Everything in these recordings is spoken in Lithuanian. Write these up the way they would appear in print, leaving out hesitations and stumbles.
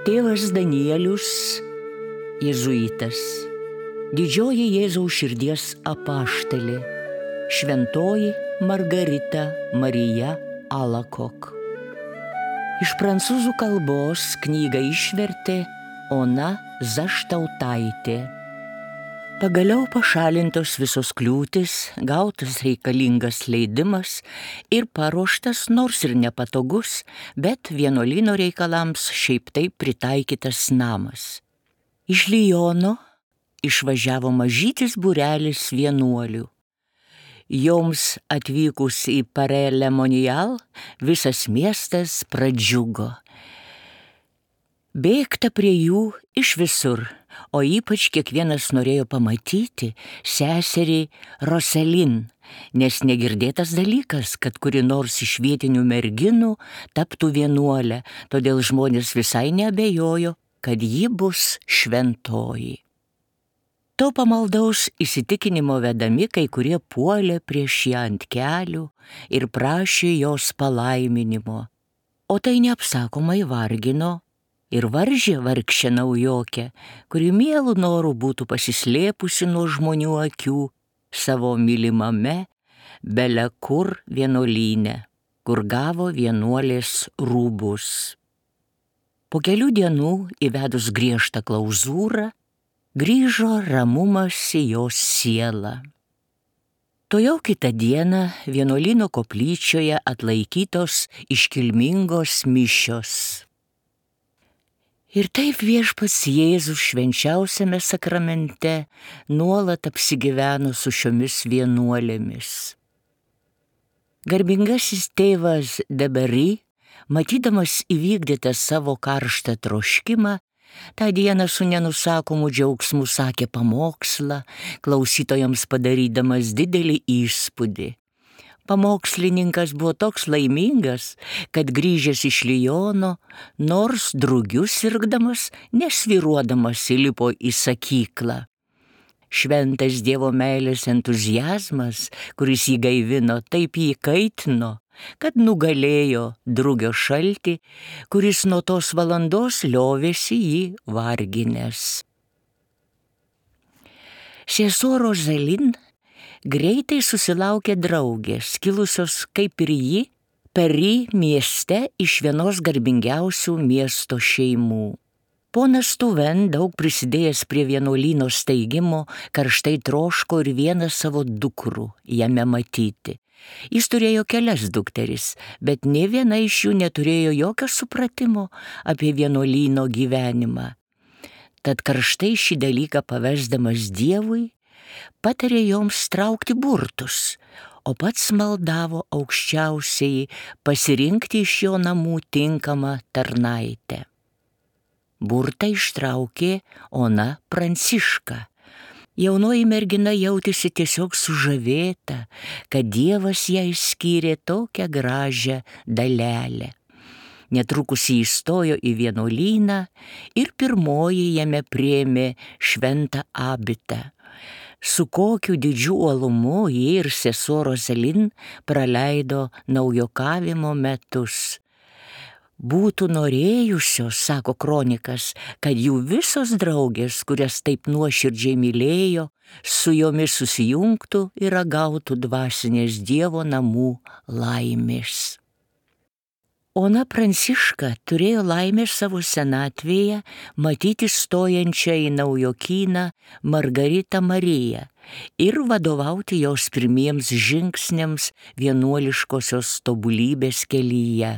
Tėvas Danielius, jėzuitas, didžioji Jėzaus širdies apaštalė, šventoji Margarita Marija Alakok. Iš prancūzų kalbos knygą išvertė Ona Zaštautaitė. Pagaliau pašalintos visos kliūtis, gautas reikalingas leidimas ir paruoštas, nors ir nepatogus, bet vienuolyno reikalams šiaip taip pritaikytas namas. Iš Liono išvažiavo mažytis būrelis vienuolių. Joms atvykus į Paray-le-Monial visas miestas pradžiugo. Bėgta prie jų iš visur, o ypač kiekvienas norėjo pamatyti seserį Roselin, nes negirdėtas dalykas, kad kuri nors iš vietinių merginų taptų vienuolę, todėl žmonės visai neabejojo, kad ji bus šventoji. To pamaldaus įsitikinimo vedami kai kurie puolė prieš ją ant kelių ir prašė jos palaiminimo, o tai neapsakomai vargino ir varžė vargšę naujokę, kuri mielų norų būtų pasislėpusi nuo žmonių akių savo mylimame bele kur vienuolyne, kur gavo vienuolės rūbus. Po kelių dienų įvedus griežtą klauzūrą, grįžo ramumas į jos sielą. Tuojau kitą dieną vienuolyno koplyčioje atlaikytos iškilmingos mišios. Ir taip Viešpats Jėzus švenčiausiame sakramente nuolat apsigyveno su šiomis vienuolėmis. Garbingasis tėvas de Berry, matydamas įvykdytą savo karštą troškimą, tą dieną su nenusakomu džiaugsmu sakė pamokslą, klausytojams padarydamas didelį įspūdį. Pamokslininkas buvo toks laimingas, kad grįžęs iš Liono, nors drugiu sirgdamas, nesvyruodamas įlipo į sakyklą. Šventas Dievo meilės entuziazmas, kuris jį gaivino, taip jį kaitino, kad nugalėjo drugio šaltį, kuris nuo tos valandos liovėsi jį varginęs. Sesuo Roselin greitai susilaukė draugės, kilusios kaip ir ji, Paris mieste iš vienos garbingiausių miesto šeimų. Ponas Tuven, daug prisidėjęs prie vienuolyno steigimo, karštai troško ir vieną savo dukrų jame matyti. Jis turėjo kelias dukteris, bet nė viena iš jų neturėjo jokio supratimo apie vienuolyno gyvenimą. Tad karštai šį dalyką pavesdamas Dievui, patarė joms traukti burtus, o pats maldavo aukščiausiai pasirinkti iš jo namų tinkamą tarnaitę. Burtą ištraukė Ona Pranciška. Jaunoji mergina jautėsi tiesiog sužavėta, kad Dievas jai skyrė tokią gražią dalelę. Netrukus jį įstojo į vienuolyną ir pirmoji jame priėmė šventą abitą. Su kokiu didžiu uolumu ji ir sesuo Roselin praleido naujokavimo metus. Būtų norėjusios, sako kronikas, kad jų visos draugės, kurias taip nuoširdžiai mylėjo, su jomis susijungtų ir ragautų dvasinės Dievo namų laimės. Ona Pranciška turėjo laimę savo senatvėje matyti stojančią į naujokyną Margaritą Mariją ir vadovauti jos pirmiems žingsniams vienuoliškosios tobulybės kelyje.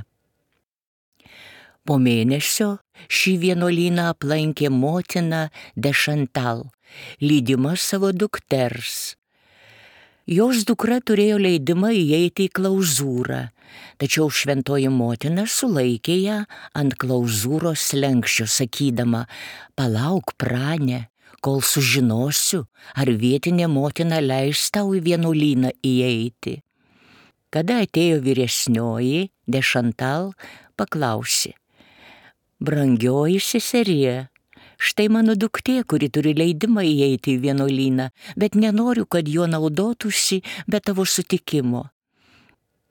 Po mėnesio šį vienuolyną aplankė motina de Chantal, lydima savo dukters. Jos dukra turėjo leidimą įeiti į klauzūrą, tačiau šventoji motina sulaikė ją ant klauzūros slenksčio, sakydama: "Palauk, Prane, kol sužinosiu, ar vietinė motina leis tau į vienuolyną įeiti." Kada atėjo vyresnioji, de Chantal paklausė: "Brangioji seserie, štai mano duktė, kuri turi leidimą įeiti į vienuolyną, bet nenoriu, kad juo naudotųsi be tavo sutikimo."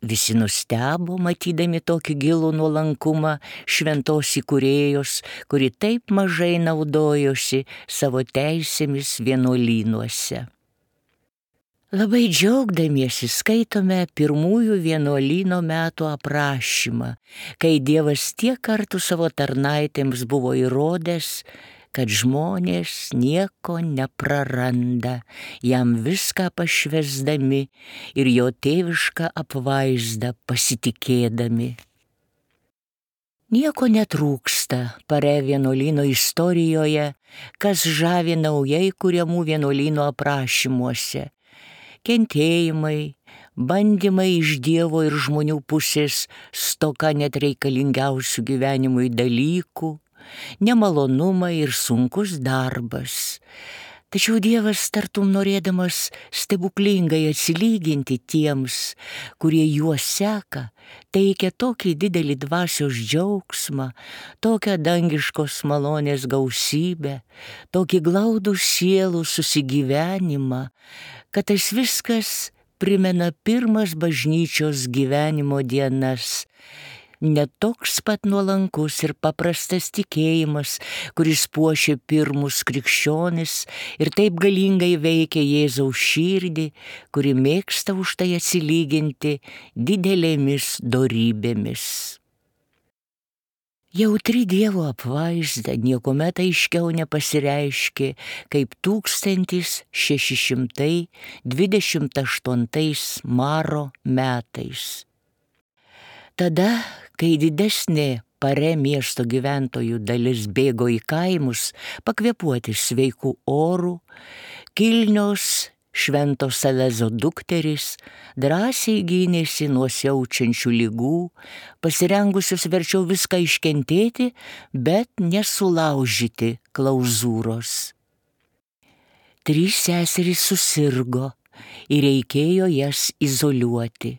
visi nustebo, matydami tokį gilų nuolankumą šventos įkūrėjos, kuri taip mažai naudojosi savo teisėmis vienuolynuose. Labai džiaugdamiesi skaitome pirmųjų vienuolyno metų aprašymą, kai Dievas tiek kartų savo tarnaitėms buvo įrodęs, kad žmonės nieko nepraranda, jam viską pašvęsdami ir jo tėvišką apvaizdą pasitikėdami. Nieko netrūksta Pare vienuolyno istorijoje, kas žavi naujai kuriamų vienuolyno aprašymuose. Kentėjimai, bandymai iš Dievo ir žmonių pusės, stoka net reikalingiausių gyvenimui dalykų, nemalonumai ir sunkus darbas. Tačiau Dievas tartum norėdamas stebuklingai atsilyginti tiems, kurie juos seka, teikia tokį didelį dvasios džiaugsmą, tokią dangiškos malonės gausybę, tokį glaudų sielų susigyvenimą, kad tas viskas primena pirmas bažnyčios gyvenimo dienas. Ne toks pat nuolankus ir paprastas tikėjimas, kuris puošė pirmus krikščionis ir taip galingai veikia Jėzaus širdį, kuri mėgsta už tai atsilyginti didelėmis dorybėmis. Jautri Dievo apvaizda niekuomet aiškiau nepasireiškė kaip 1628 Maro metais. Tada, kai didesnė Pare miesto gyventojų dalis bėgo į kaimus pakvėpuoti sveikų orų, kilnios Švento Salezo dukterys drąsiai gynėsi nuo siaučiančių ligų, pasirengusios verčiau viską iškentėti, bet nesulaužyti klauzūros. 3 seserys susirgo ir reikėjo jas izoliuoti.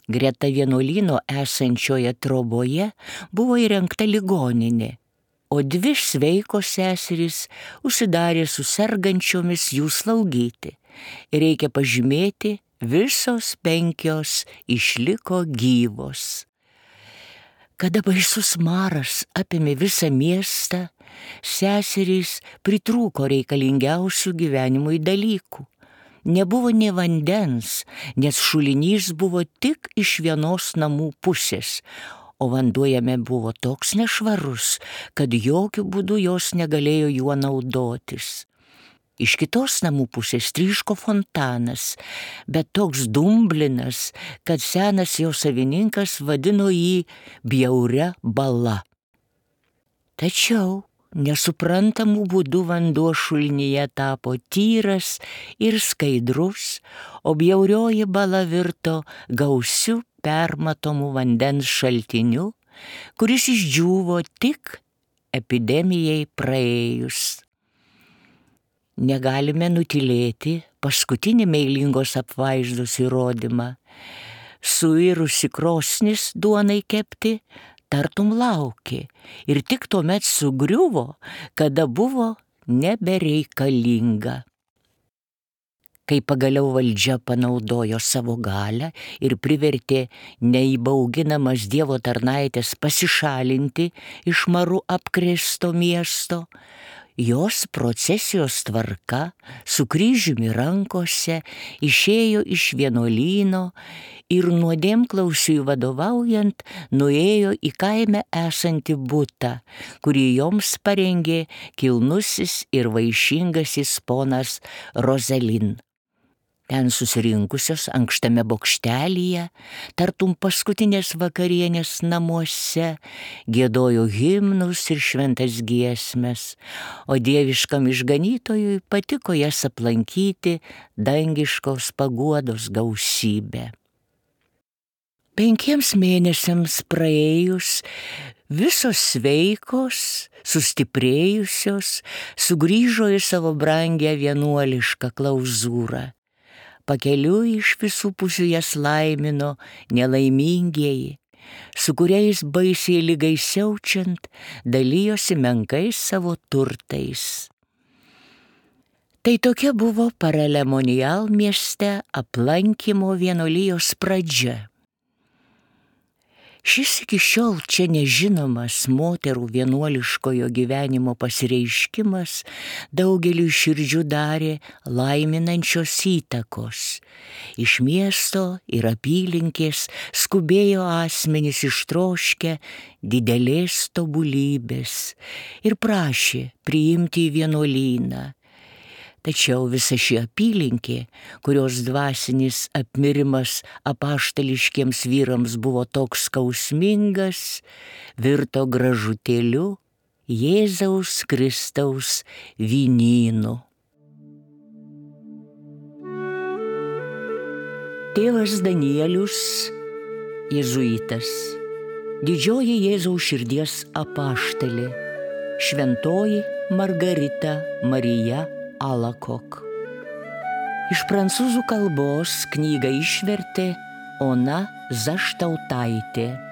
Greta vienuolyno esančioje troboje buvo įrengta ligoninė, o 2 sveikos seserys užsidarė su sergančiomis jų slaugyti. Reikia pažymėti, visos 5 išliko gyvos. Kada baisus maras apėmė visą miestą, seserys pritrūko reikalingiausių gyvenimui dalykų. Nebuvo nė vandens, nes šulinys buvo tik iš vienos namų pusės, o vanduo jame buvo toks nešvarus, kad jokių būdų jos negalėjo juo naudotis. Iš kitos namų pusės tryško fontanas, bet toks dumblinas, kad senas jo savininkas vadino jį bjauria bala. Tačiau nesuprantamų būdų vanduo šulinyje tapo tyras ir skaidrus, o bjaurioji bala virto gausiu permatomų vandens šaltiniu, kuris išdžiūvo tik epidemijai praėjus. Negalime nutylėti paskutinį meilingos apvaizdos įrodymą. Suirusi krosnis duonai kepti tartum laukė ir tik tuomet sugriuvo, kada buvo nebereikalinga. Kai pagaliau valdžia panaudojo savo galią ir privertė neįbauginamas Dievo tarnaitės pasišalinti iš maru apkrėsto miesto, jos procesijos tvarka su kryžiumi rankose išėjo iš vienuolyno ir nuodėmklausiui vadovaujant nuėjo į kaime esantį butą, kurį joms parengė kilnusis ir vaišingasis ponas Roselin. Ten susirinkusios ankštame bokštelyje, tartum paskutinės vakarienės namuose, giedojo himnus ir šventas giesmes, o dieviškam išganytojui patiko jas aplankyti dangiškos paguodos gausybę. 5 mėnesiams praėjus, visos sveikos, sustiprėjusios, sugrįžo į savo brangią vienuolišką klauzūrą. Pakeliui iš visų pusių jas laimino nelaimingieji, su kuriais baisiai ligai siaučiant dalijosi menkais savo turtais. Tai tokia buvo Paralemonial mieste aplankymo vienuolijos pradžia. Šis iki šiol čia nežinomas moterų vienuoliškojo gyvenimo pasireiškimas daugeliui širdžių darė laiminančios įtakos. Iš miesto ir apylinkės skubėjo asmenys ištroškę didelės tobulybės ir prašė priimti į vienuolyną. Tačiau visa ši apylinkė, kurios dvasinis apmirimas apaštališkiems vyrams buvo toks skausmingas, virto gražutėliu Jėzaus Kristaus vynynu. Tėvas Danielius, jėzuitas, didžioji Jėzaus širdies apaštalė, šventoji Margarita Marija Alakok. Iš prancūzų kalbos knygą išvertė Ona Zaštautaitė.